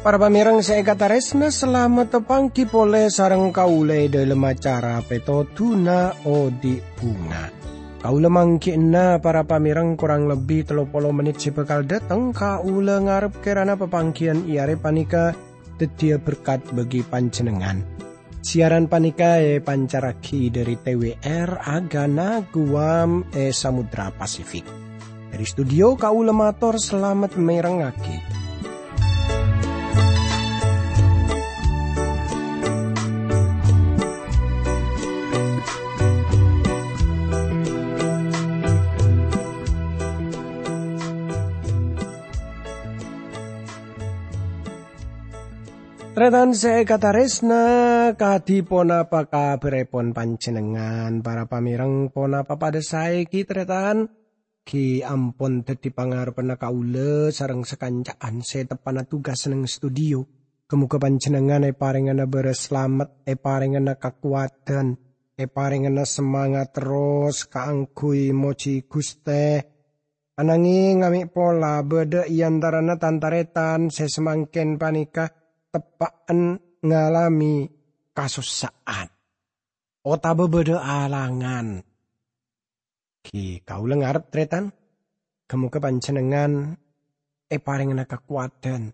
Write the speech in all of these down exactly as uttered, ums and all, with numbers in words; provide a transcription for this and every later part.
Para pamèrèng sè èkatarèsna, salamet tapangghi polè sareng kaulâ è dhâlem acara Pètodhuna Odi' Bhunga. Kaulâ mangghi'na para pamèrèng korang lebbi tello polo mennit sè bhâkal dâteng. Kaulâ ngarep kèrana papangghiyân è arè panèka dhâddhiyâ berkat bagi panjhennengngan. Siaran panèka èpancarraghi dhâri T W R Agana Guam è Samudra Pasifik. Dhâri studio kaulâ mator salamet mèrengngaghi. Tarètan sè èkatarèsna, kadhi ponapa kabhârèpon panjhennengngan? Para pamèrèng, ponapa padâ saè ghi, tarètan? Ghi ampon dhâddhi pangarebbhânna kaulâ sareng sakanca'an sè teppa'na tugas neng studio. Ghâ-moghâ panjhennengngan èparèngana bârâs salamet, èparèngana kakowadhân, èparèngana samangat terros kaangghuy mojhi Ghustè. Anangèng, amè' pola bâdâ è antarana tan-tarètan sè samangkèn panèka teppa'en ngalamè kasossa'an otabâ bâdâ alangan. Ghi kaulâ ngarep, tarètan, ghâ-moghâ panjhennengngan èparèngana kakowadhân.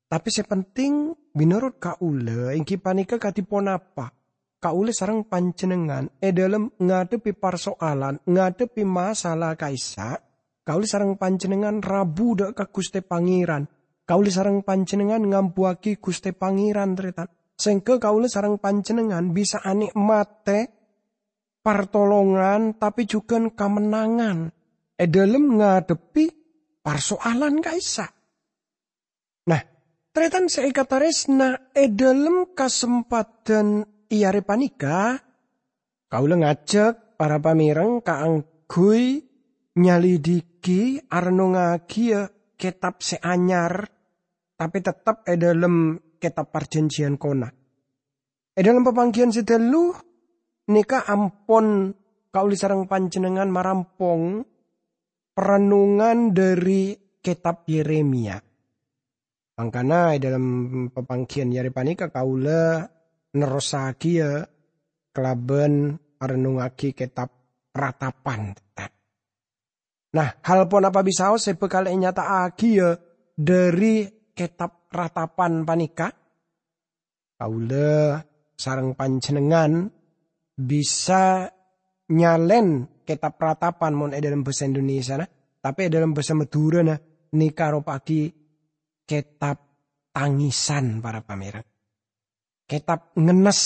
Tapè sè penting, mènorot kaulâ, èngghi panèka kadhi ponapa kaulâ sareng panjhennengngan è dhâlem ngadhebbhi parsoalan, ngadhebbhi masalah ka'issa', kaulâ sareng panjhennengngan rabu dâ' ka Ghustè Pangèran. Kaulâ sareng panjhennengngan ngambuwâghi Ghustè Pangèran, tarètan. Sèngghâ kaulâ sareng panjhennengngan bisa anè'matè partolongan, tapè jhughân kamennangan è dhâlem ngadhebbhi parsoalan ka'issa'. Nah, tarètan sè èkatarèsna, è dhâlem kasempadhân è arè panèka, kaulâ ngajhâk para pamèrèng kaangghuy nyalidiki, arennongngaghiyâ kètab sè anyar, tapè tettep è dhâlem kètab Parjhânjhiyân Kona. È dhâlem papangghiyân sè ghâllu nèka ampon kaulâ sareng panjhennengngan marampong parennongan dhâri kètab Yeremia. Mangkana è dhâlem papangghiyân arè panèka kaulâ nerrossaghiyâ kalabân arennongngaghi kètab Ratapan. Nah, hal ponapa bisaos sè bhâkal ènyata'aghiyâ dhâri kètab Ratapan panèka? Kaulâ sareng panjhennengngan bisa nyalèn kètab Ratapan mon è dhâlem bhâsa Indonesiana, tapè è dhâlem bhâsa Madhurâna nèka aropa'aghi kètab tangisan, para pamèrèng. Kètab ngennes.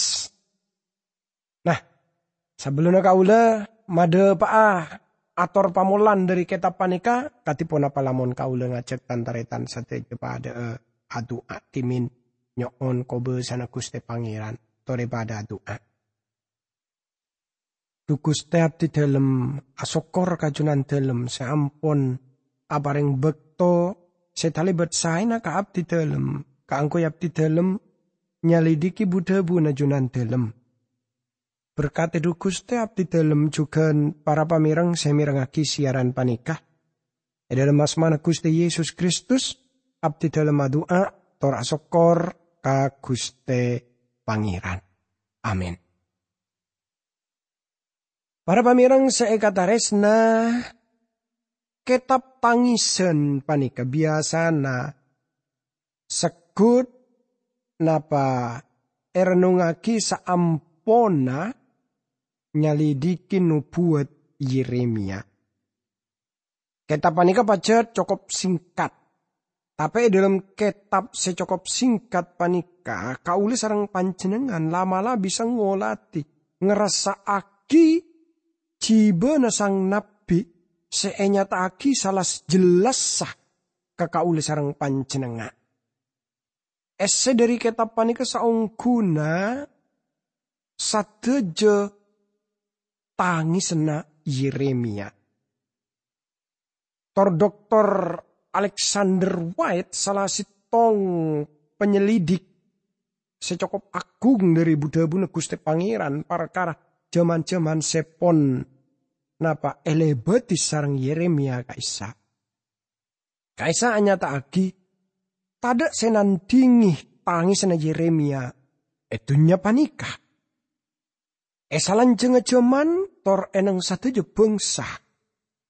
Nah, sabellunna kaulâ madhâpa'a ator pamolan dhâri kètab panèka, kadhi ponapa lamon kaulâ ngajhâk tan-tarètan sadhâjâ padhâ'â adu'a dhimèn nyo'on kobâsana Ghustè Pangèran, torè padhâ adu'a. Dhu Ghustè, abdhi dhâlem asokkor ka Jhunandhâlem sè ampon aparèng bâkto sè talèbât saèna ka abdhi dhâlem, kaangghuy abdhi dhâlem nyalidiki bu-dhâbuna Jhunandhâlem. Berkadhi, dhu Ghustè, abdhi dhâlem jhughân para pamèrèng sè mèrengngaghi siaran panèka. È dhâlem asmana Ghustè Yesus Kristus, abdhi dhâlem adu'a tor asokkor ka Ghustè Pangèran. Amin. Para pamèrèng sè èkatarèsna, kètab tangisan panèka biyasana segghut napa èrennongngaghi saamponna nyalidiki nobuwat Yeremia. Kètab panèka pajhât cokop singkat. Tapè è dhâlem kètab sè cokop singkat panèka, kaulâ sareng panjhennengngan la'-mala' bisa ngolatè, ngrassa'aghi jhibâna sang nabbhi sè ènyata'aghi sala jellassa ka kaulâ sareng panjhennengngan. Èssè dhâri kètab panèka saongghuna sadhâjâ tangisanna Yeremia. Tor Doktor Alexander White, sala sèttong panyelidik sè cokop agung dhâri bu-dhâbuna Ghustè Pangèran parkara jhâman-jhâman sè pon napa èlèbâdhi sareng Yeremia ka'issa'. Ka'issa' anyata'aghi tadhâ' sè nandhingè tangèsanna Yeremia è dhunnya panèka. È salanjhângnga jhâman tor è neng sadhâjâ bhângsa,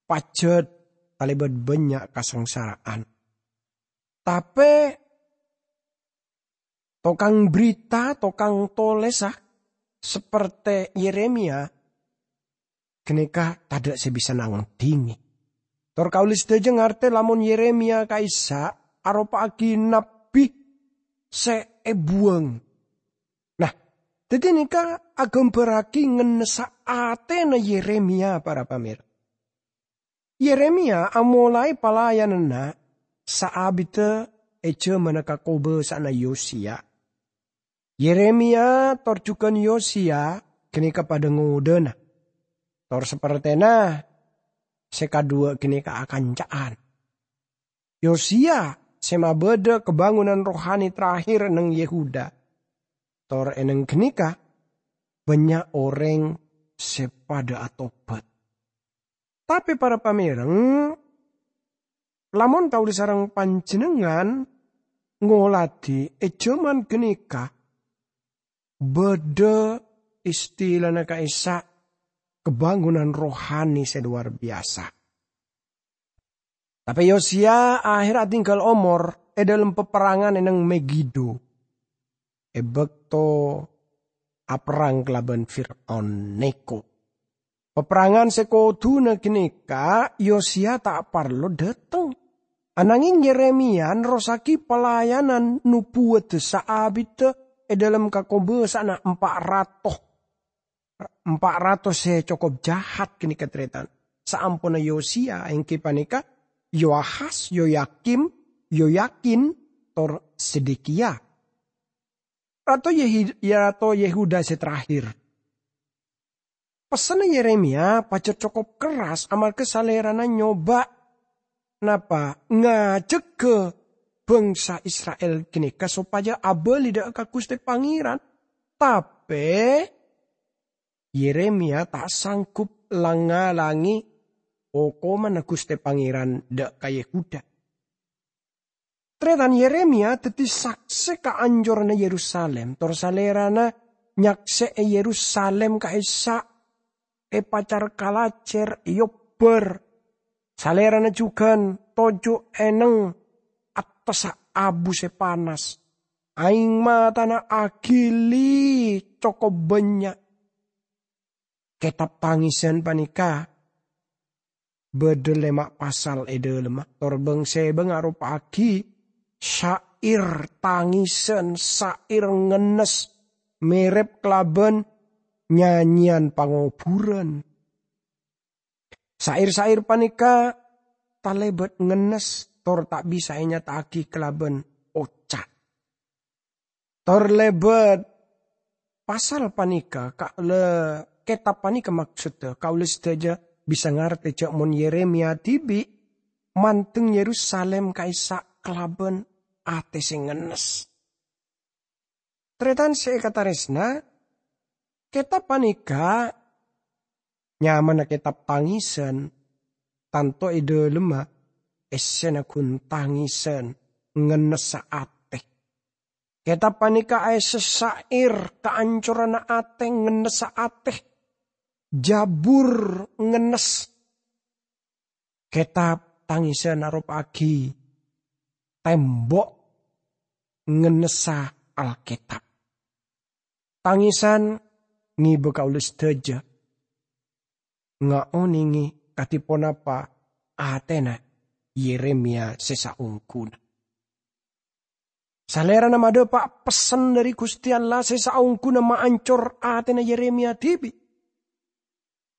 pajhât talèbât bânnya' kasangsara'an. Tapè tokang berita, tokang tolèsa, sapertè Yeremia, ghânèka tadhâ' sè bisa nandhingè. Tor kaulâ sadhâjâ ngartè lamon Yeremia ka'issa' aropa'aghi nabbhi sè èbuwâng. Nah, dhâddhi nèka aghâmbhârraghi ngennessa atèna Yeremia, para pamèr. Yeremia amolaè palayananna saabiddhâ è jhâmanna kakobâsa'anna Yosiya. Yeremia tor jhughân Yosiya ghânèka padhâ ngodâna. Tor sapertèna sè kadhuwâ' ghânèka akanca'an. Yosiya sè mabâdâ kabângonanna rohani terakhir neng Yehuda. Tor è neng ghânèka bânnya' orèng sè padhâ atobhât. Tapè para pamèreng, lamon kaulâ sareng panjhennengngan ngoladhi è jhâman ghânèka bâdâ istilana ka'issa' kabângonanna rohani sè lowar biyasa. Tapè Yosiya aherra adhingghâl omor è dhâlem paperrangan è neng Megido, è bâkto aperrang kalabân Fir'aun Neko. Paperrangan sè kodhuna ghânèka Yosiya ta' parlo dhâteng. Ananghing Yeremia nerrossaghi palayanan nobuwadda saabiddhâ è dhâlem kakobâsa'anna empa' rato. Empa' rato sè cokop jahat ghânèka, tarètan. Saamponna Yosiya, èngghi panèka Yoahas, Yoyakim, Yoyakin, tor Zedekiya. Rato Yehi-, Rato Yehuda sè terakhir. Pessenna Yeremia pajhât cokop kerras amarghâ salèrana nyoba napa ngajhâghâ bhângsa Isra'il ghânèka sopajâ abâli dhâ' ka Ghustè Pangèran. Tapè Yeremia ta' sanggup lang-ngalangè okomanna Ghustè Pangèran dhâ' ka Yehuda. Tarètan, Yeremia dhâddhi saksè kaancor Yerusalem, tor salèrana nyaksè'è Yerusalem ka'issa' èpacar kalajhèr, èobbhâr. Salèrana jhughân toju' è neng attassa abu sè panas. Aèng matana aghili cokop bânnya'. Kètab tangèsan panèka bâdâ lèma' pasal è dhâlemma, tor bâng-sèbâng aropa'aghi syair tangèsan, syair ngennes, mèrèp kalabân nyanyèyan pangobhurân. Syair-syair panèka talèbât ngennes tor ta' bisa ènyata'aghi kalabân oca'. Tor lèbât pasal panèka, ka-, le-, kètab panèka, maksodda, kaulâ sadhâjâ bisa ngartè jâ' mon Yeremia dhibi' mandeng Yerusalem ka'issa' kalabân atè sè ngennes. Tarètan sè èkatarèsna, kètab panèka nyamana kètab tangèsan, tanto è dhâlemma èssèna ghun tangèsan, ngennessa atè. Kètab panèka aèssè syair kaancoranna atè, ngennessa atè. Jabur ngennes. Kètab tangèsan aropa'aghi tembok ngennessa Alkètab. Tangèsan ngibâ kaulâ sadhâjâ ngaonèngè kadhi ponapa atèna Yeremia sè saongghuna. Salèrana madhâpa' pessen dhâri Ghustè Allah sè saongghuna maancor atèna Yeremia dhibi'.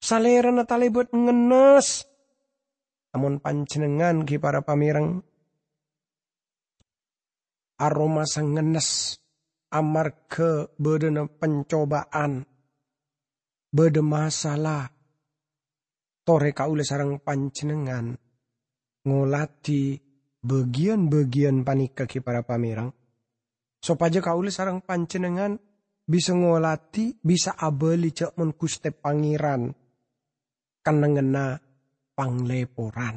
Salèrana talèbât ngennes. Amon panjhennengngan ghi' para pamèreng, aromasa ngennes amarghâ bâdâna pancobâ'ân, bâdâ masalah, torè kaulâ sareng panjhennengngan ngoladhi bâgiyân-bâgiyân panèka ghi' para pamèreng. sopajâ kaulâ sareng panjhennengngan bisa ngoladhi, bisa abâli jhâ' mon Ghustè Pangèran kennengnganna pangleporan.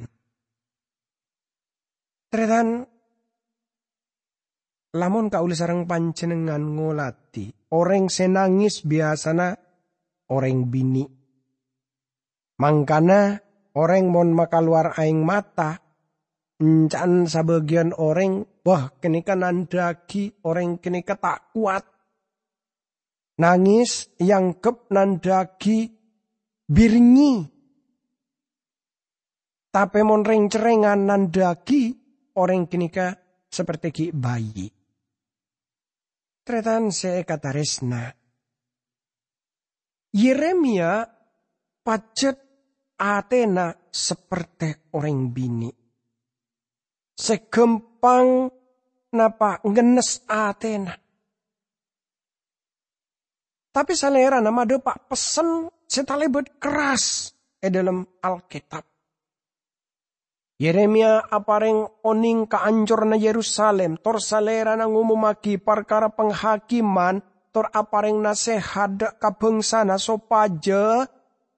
Tarètan, lamon kaulâ sareng panjhennengngan ngoladhi, orèng sè nangès biyasana orèng binè'. Mangkana orèng mon makalowar aèng mata, enca'an sabâgiyân orèng, wah, ghânèka nandhâ'aghi orèng ghânèka ta' kowat. Nangès èangghep nandhâ'aghi bhirnyi. Tapè mon rèng-cerrèngan nandhâ'aghi orèng ghânèka saperti ghi' bhâi. Tarètan sè èkatarèsna, Yeremia pajhât atèna saperti orèng binè' sè ghâmpang napa ngennes atèna. Tapè Salèrana madhâpa' pessen sè talèbât kerras è dhâlem Alkètab. Yeremia aparèng onèng kaancoranna Yerusalim, tor Salèrana ngomommaghi parkara panghakimman, tor aparèng nasèhat dhâ' ka bhângsana sopajâ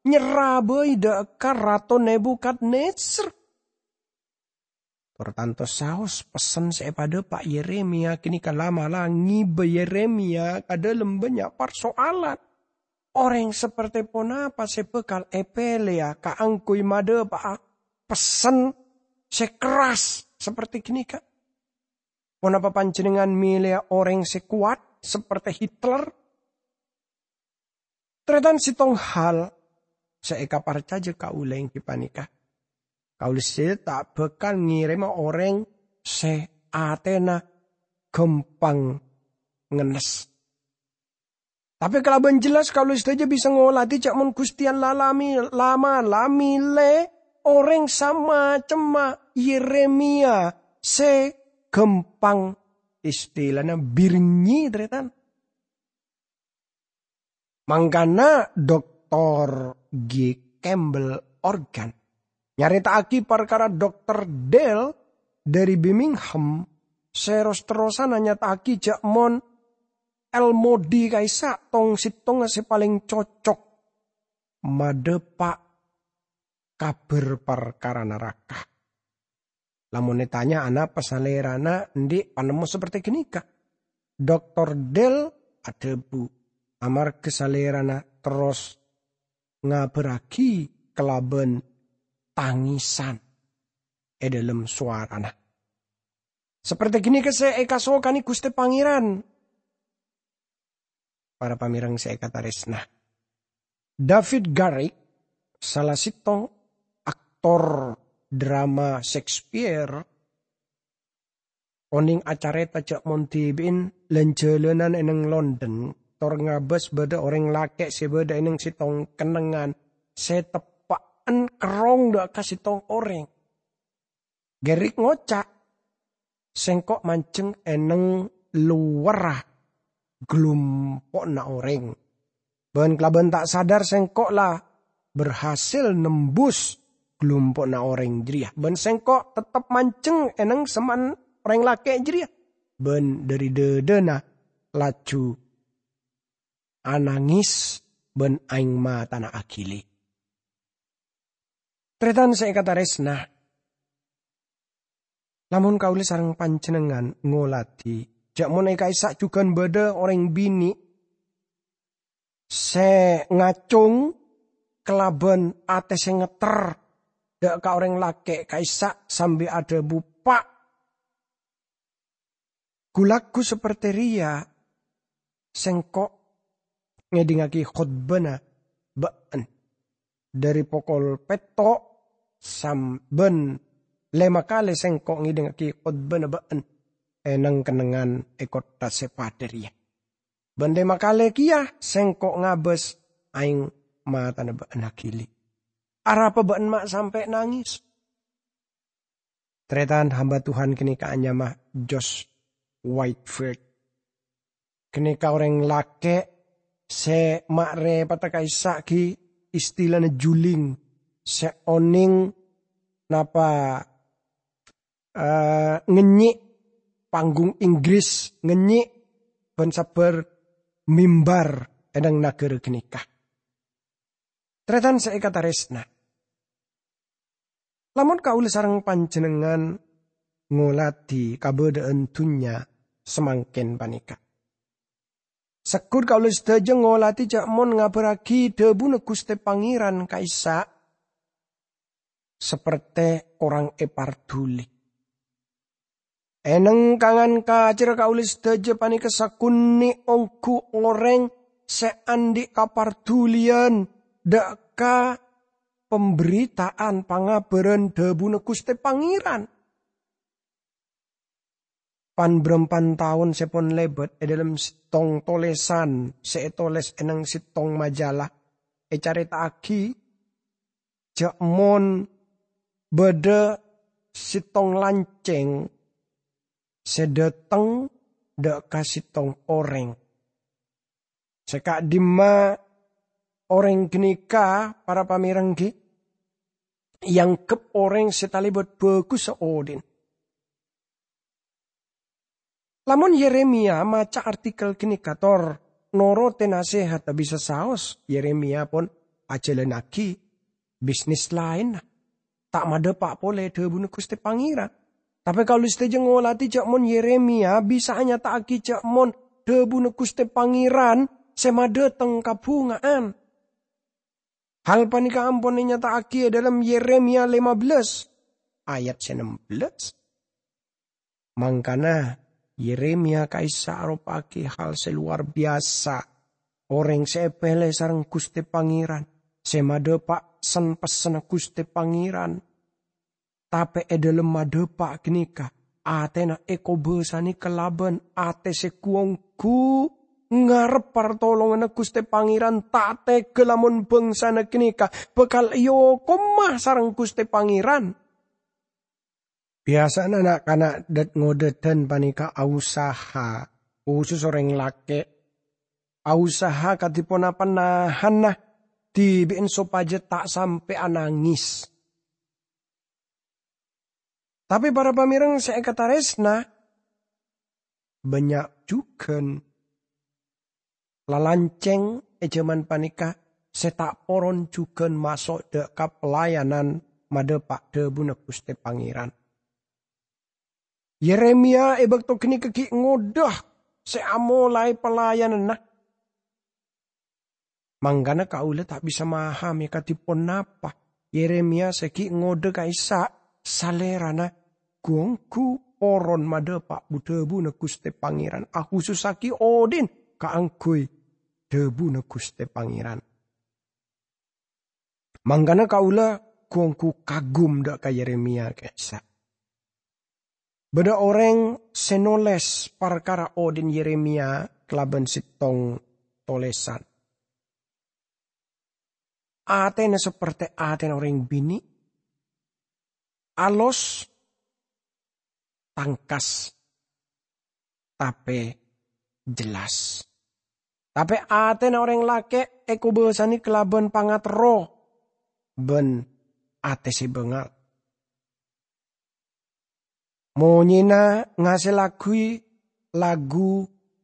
nyerra bhâi dhâ' ka Rato Nebukadnezar. Tor tanto saos pessen sè èpadhâpa' Yeremia ghânèka la'-mala' ngibâ Yeremia ka dhâlem bânnya' parsoalan. Orèng saperti ponapa sè bhâkal èpèlèya kaangghuy madhâpa'a pessen sè kerras saperti ghânèka? Ponapa panjhennengngan mèlèya orèng sè kowat saperti Hitler? Tarètan, sèttong hal sè èkaparcajâ kaulâ èngghi panèka, kaulâ sè ta' bhâkal ngèrèma orèng sè atèna ghâmpang ngennes. Tapè kalabân jelas kaulâ sadhâjâ bisa ngoladhi jhâ' mon Ghustè Allah la-, la-, mala' mèlè orèng samacemma Yeremia sè ghâmpang istilana bhirnyi, tarètan. Mangkana Doktor G. Campbell Morgan nyarèta'aghi parkara Doktor Dale dhâri Birmingham sè ros-terrosanna nyata'aghi jhâ' mon El Modi ka'issa' tong-sèttongnga sè palèng cocok madhâpa' kabhâr parkara naraka. Lamon ètanya anapa salèrana andi' panemmo saperti ghânèka, Doktor Dale adhâbu, amarghâ salèrana terros ngabhârraghi kalabân tangèsan è dhâlem sowarana. Saperti ghânèka sè èkasokanè Ghustè Pangèran. Para pamèreng sè èkatarèsna, David Garrick, sala sèttong aktor drama Shakespeare, onèng acarèta jhâ' mon dhibi'en lan-jhâlânan è neng London, tor ngabâs bâdâ orèng lakè' sè bâdâ è neng sèttong kennengngan sè teppa'en kerrong dhâ' ka sèttong orèng. Garrick ngoca', "Sèngko' manjheng è neng lowarra glumpo'na orèng. Bân kalabân ta' sadar sèngko' la berhasil nembus glumpo'na orèng jârèya. Bân sèngko' tettep manjheng è neng semma'an orèng lakè' jârèya." Bân dhâri dhâdhâna laju anangès bân aèng matana aghili. Tarètan sè èkatarèsna, lamon kaulâ sareng panjhennengngan ngoladhi, jhâ' mon è ka'issa' jhughân bâdâ orèng binè' sè ngacong kalabân atè sè ngetter dhâ' ka orèng lakè' ka'issa' sambi adhâbu, "Pa', ghu-lagghu saperti rèya sèngko' ngèdingngaghi khotbana bâ'en. Dhâri pokol pètto' sam-, bân lèma kalè sèngko' ngèdingngaghi khotbana bâ'en è neng-kennengngan è kottha sè padâ rèya. Bân lèma kalè kèya sèngko' ngabâs aèng matana bâ'en aghili. Arapa bâ'en ma' sampè' nangès?" Tarètan, hamba Tuhan ghânèka anyama Josh Whitefield. Ghânèka orèng lakè' sè ma' rèpodda ka'issa' ghi istilana juling, sè onèng napa, eh, ngènyè' panggung Inggris, ngènyè' bân sabbhâr mimbar è nang naghârâ ghânèka. Tarètan sè èkatarèsna, lamon kaulâ sareng panjhennengngan ngoladhi kabâdâ'ân dhunnya samangkèn panèka, segghut kaulâ sadhâjâ ngoladhi jhâ' mon ngabhârraghi dhâbuna Ghustè Pangèran ka'issa' sapertè korang èparduli. È neng-kangan kacèrra kaulâ sadhâjâ panèka sakonè' ongghu orèng sè andi' kaparduliyân dâ' ka pambhârita'an pangabhârân dhâbuna Ghustè Pangèran. Pan-bârâmpan taon sè pon lèbât è dâlem sèttong tolèsan sè ètolès è neng sèttong majalah ècarèta'aghi jhâ' mon bâdâ sèttong lancèng sè dâteng dâ' ka sèttong orèng. Sè ka'dimma orèng ghânèka, para pamèreng ghi, èangghep orèng sè talèbât bhâghussa odi'na. Lamon Yeremia maca artikel ghânèka tor norotè nasèhatta bisa saos, Yeremia pon ajhâlânnaghi bisnis laènna, ta' madhâpa' polè dhâbuna Ghustè Pangèran. Tapè kaulâ sadhâjâ ngoladhi jhâ' mon Yeremia bisa anyata'aghi jhâ' mon dhâbuna Ghustè Pangèran sè madâteng kabhunga'an. Hal panèka ampon ènyata'aghi è dâlem Yeremia lèma bellâs ayat sè nem bellâs. Mangkana, Yeremia ka'issa' aropa'aghi hal sè lowar biyasa. Orèng sè èpèlè sareng Ghustè Pangèran, sè madhâpa' sen-pessenna Ghustè Pangèran. Tapè è dâlem madhâpa' ghânèka, atèna èkobâsanè kalabân atè sè gu-onggu, ngarep partolonganna Ghustè Pangèran, ta' tegghâ lamon bhângsana ghânèka bhâkal èokoma sareng Ghustè Pangèran. Biyasana na'-kana' dhât-ngodâdhân panèka ausaha, khusus orèng lakè', ausaha kadhi ponapa nahanna dhibi'en sopajâ ta' sampè' anangès. Tapè para pamèreng sè èkatarèsna, bânnya' jhughân lalancèng è jhâman panèka sè ta' poron jhughân maso' dâ' ka pelayanan madhâpa' dhâbuna Ghustè Pangèran. Yeremia è bâkto ghânèka ghi' ngodâ sè amolaè pelayananna. Mangkana kaulâ ta' bisa mahamè kadhi ponapa Yeremia sè ghi' ngodâ ka'issa' salèrana gu-onggu poron madhâpa' bu-dhâbuna Ghustè Pangèran, akhusussaghi odi'na kaangghuy dhâbuna Ghustè Pangèran. Mangkana kaulâ gu-onggu kagum dâ' ka Yeremia ka'issa'. Bâdâ orèng sè nolès parkara odi'na Yeremia kalabân sèttong tolèsan. Atèna sapertè atèna orèng binè', alos, tangkas, tapè jelas. Tapè atèna orèng lakè' èkobâsanè kalabân pangaterro bân atè sè bângal. Monyèna ngasèllaghi lagu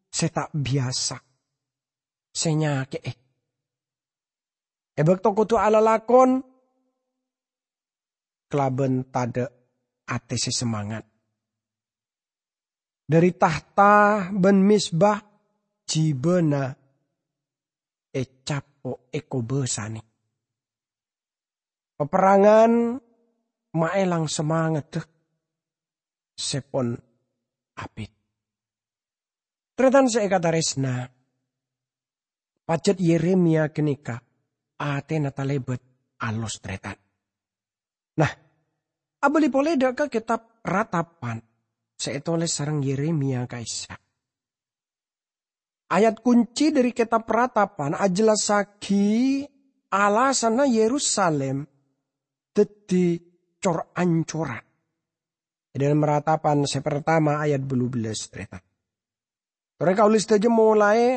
sè ta' biyasa, sè nyakè'è. È bâkto kodhu alalakon kalabân tadâ' atè sè semangat. Dhâri tahta bân mezbah jibâna ècapo' èkobâsanè. Paperrangan maèlang samangaddhâ sè pon abit. Tarètan sè èkatarèsna, pajhât Yeremia ghânèka atèna talèbât alos, tarètan. Nah, abâli polè dâ' ka kètab Ratapan sè ètolès sareng Yeremia ka'issa'. Ayat kunci dhâri kètab Ratapan ajellassaghi alasanna Yerusalim dhâddhi cor-ancoran. È dâlem Ratapan sè partama ayat bâllu bellâs, tarètan. Torè kaulâ sadhâjâ molaè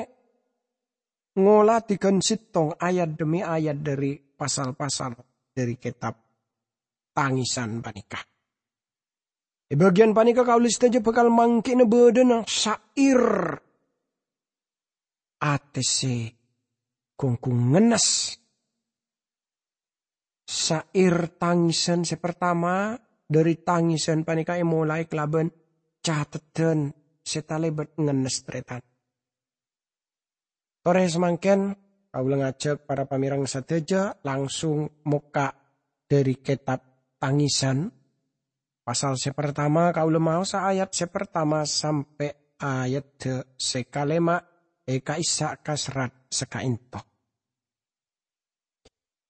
ngoladhi ghân sèttong ayat dhemmi ayat dhâri pasal-pasal dhâri kètab Tangisan panèka. È bâgiyân panèka kaulâ sadhâjâ bhâkal mangghi'na bâdâna syair atè sè ghung-ghung ngennes. Syair tangisan sè partama dhâri tangisan panèka èmolaè kalabân cateddhân sè talèbât ngennes, tarètan. Torè samangkèn, kaulâ ngajhâk para pamèreng sadhâjâ langsung mokka' dhâri kètab Tangisan, pasal sè partama, kaulâ maosa ayat sè partama sampè' ayat sè kalèma' è ka'issa' kaserrat sakaènto.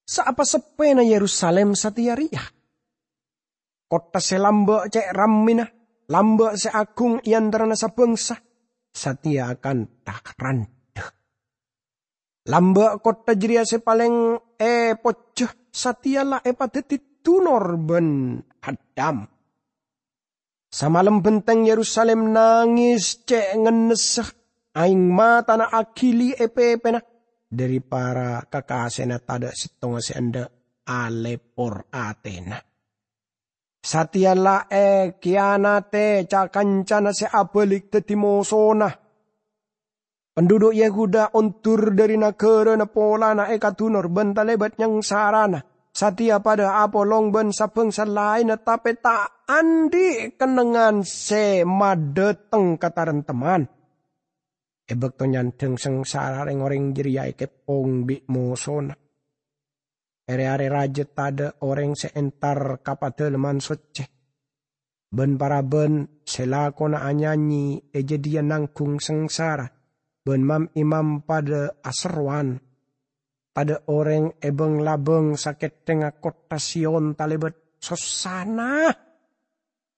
Saapa seppèna Yerusalim satèya rèya? Kottha sè lambâ' cè' rammèna, lambâ' sè aghung è antarana sabângsa, satèya akantha randhâ. Lambâ' kottha jârèya sè palèng èpojjhâ, satèya la èpadhâddhi dunor bân haddham. Samalem bhenteng Yerusalim nangès cè' ngennessa, aèng matana aghili è pèpèna, dhâri para kakasèna tadâ' sèttonga sè endâ' alèpor atèna. Satèya la èkiyanatè ca-kancana sè abâlik dhâddhi mosona. Penduduk Yehuda ondur dhâri naghârâna polana èkadunor bân talèbât nyangsarana. Satèya padâ apolong bân sabângsa laènna, tapè ta' andi' kennengngan sè madhâteng kataremtemman. È bâkto nyandhâng sangsara, rèng-orèng jârèya èkeppong bi' mosona. È rè-arè rajâ tadâ' orèng sè entar ka Padalemman Soccè. Bân-parabân sè lakona anyanyi è jâdiyâ nangghung sangsara, bân mam-imam padâ aserrowan. Tadâ' orèng è bâng-labâng sakètthengnga kottha Sion talèbât sossana.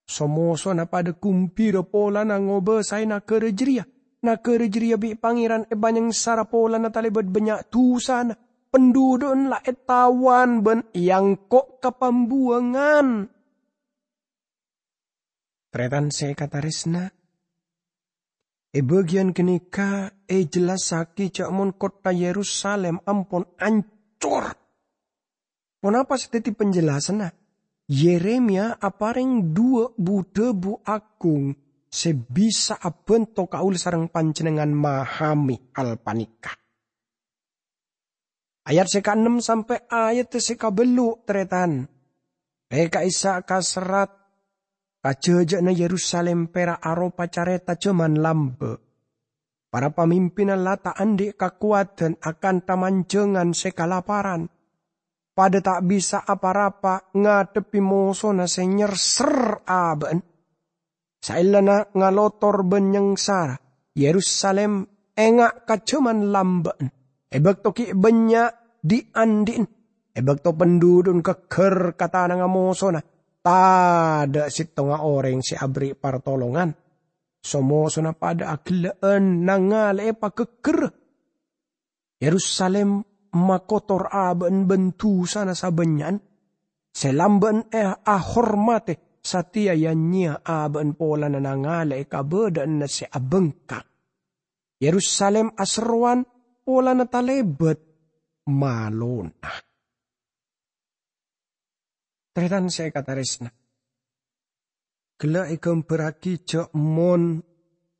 So-mosona padâ ghumbira polana ngobâsaè naghârâ jârèya. Naghârâ jârèya bi' Pangèran èpanyangsara polana talèbât bânnya' dusana. Pendudukna la ètawan bân èangko' ka pambuwangan. Tarètan sè èkatarèsna, è bâgiyân ghânèka èjellassaghi jâ' mon kottha Yerusalim ampon ancor. Ponapa sè dhâddhi panjellasanna? Yeremia aparèng duwâ' bu-dhâbu aghung sè bisa abhânto kaulâ sareng panjhennengngan mahamè hal panèka. Ayat sè kaennem sampè' ayat sè kabellu', tarètan. È ka'issa' kaserrat, kajhâjâna Yerusalim pèra' aropa carèta jhâman lambâ'. Para pamimpinna la ta' andi' kakowadhân akantha manjhângan sè kalaparan. Padâ ta' bisa pa-rapa ngadhebbhi mosona sè nyerser abâ'na. Saellana ngalotor bân nyangsara, Yerusalim enga' ka jhâman lambâ'na, è bâkto ghi' bânnya' dhi'-andhi'na, è bâkto pendudukna ghâgghâr ka tanangnga mosona, tadâ' sèttonga orèng sè aberri' partolongan. So-mosona padâ aghellâ'ân nangalè'è paghâgghârrâ. Yerusalim makotor abâ'na bân dusana sabânnya'an. Sè lambâ'na è-, ahormatè, satèya ya-nyèya abâ'na polana nangalè'è kabâdâ'ânna sè abângkang. Yerusalim aserrowan polana talèbât malona. Tarètan sè èkatarèsna. Ghellâ' èghâmbhârraghi jâ' mon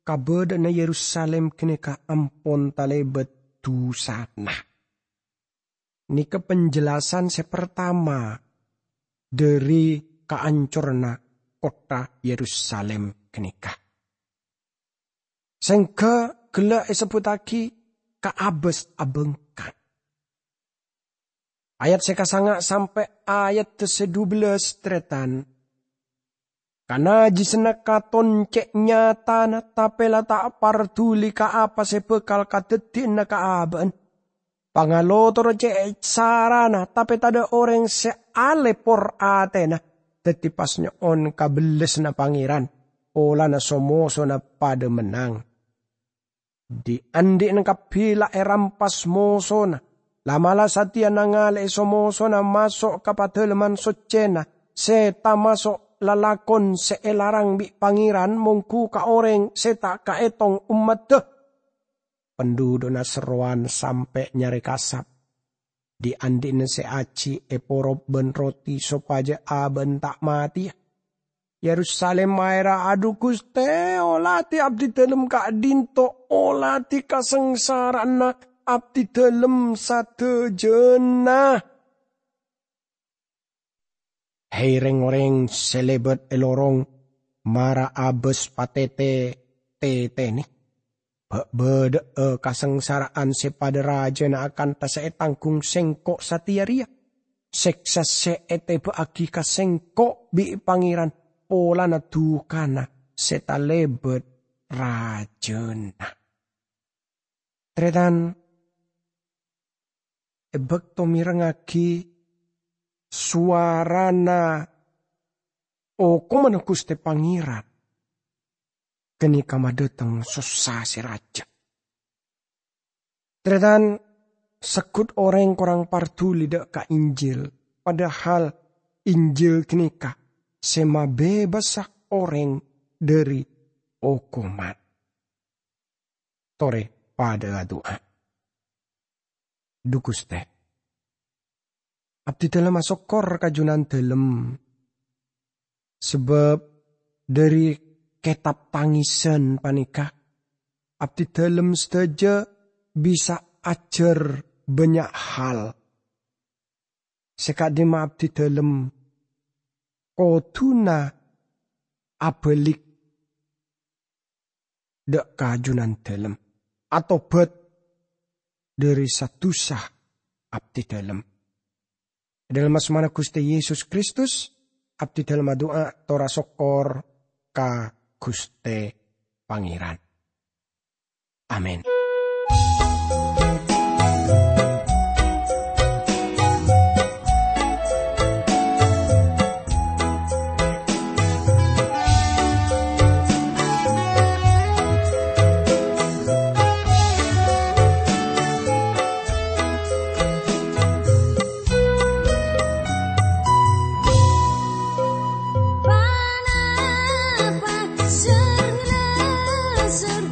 kabâdâ'ânna Yerusalim ghânèka ampon talèbât dusana. Nèka penjelasan sè partama dhâri kaancoranna kottha Yerusalim ghânèka. Sèngghâ ghellâ' èsebbhuttaghi ka abâs abângkang. Ayat sè kasanga' sampè' ayat sè dubellâs, tarètan. Kanajisanna katon cè' nyatana, tapè la ta' parduli ka apa sè bhâkal kadhâddhiyânna ka abâ'na. Pangalotor cè' sarana, tapè tadâ' orèng sè alèpor atèna, dhâddhi pas nyo'on ka bellassanna Pangèran, polana so-mosona padâ mennang. Dhi'-andhi'na kabbhi la èrampas mosona, la'-mala' satèya nangalè'è so-mosona maso' ka Padalemman Soccèna, sè tamaso' lalakon sè èlarang bi' Pangèran mongghu ka orèng sè ta' kaètong ommaddhâ. Pendudukna serrowan sampè' nyarè kasap. Dhi'-andhi'na sè ajhi' èporop bân roti sopajâ abâ'na ta' matèya. Yerusalim maèra, "Adhu Ghustè, oladhi abdidhâlem ka'dinto, oladhi kasangsara'anna abdidhâlem sadhâjâna." Hè, rèng-orèng sè lèbât è lorong, mara abâs patètè-tètènè. Bâ'-bâdâ'â kasangsara'an sè padâ rajâna akanta sè ètangghung Sèngko' satèya rèya. Sèksa sè ètèbâ'aghi ka Sèngko' bi' Pangèran polana dhukana sè talèbât rajâna. Tarètan, è bâkto mèrengngaghi sowarana okomanna Ghustè Pangèran, ghânèka madhâteng sossa sè rajâ. Tarètan, segghut orèng korang parduli dâ' ka Injil, padahal Injil ghânèka sè mabebasa orèng dhâri okoman. Torè padâ adu'a. Dhu Ghustè, abdidhâlem asokkor ka Junandhâlem, sabâb dhâri kètab tangèsan panèka, abdidhâlem sadhâjâ bisa ajhâr bânnya' hal sè ka'dimma abdidhâlem kodhuna abâlik dâ' ka Junandhâlem, atobhât dhâri sa-dusa abdidhâlem. È dhâlem asmana Ghustè Yesus Kristus, abdidhâlem adu'a tor asokkor ka Ghustè Pangèran. Amin. Ponapa sèr-ngasèr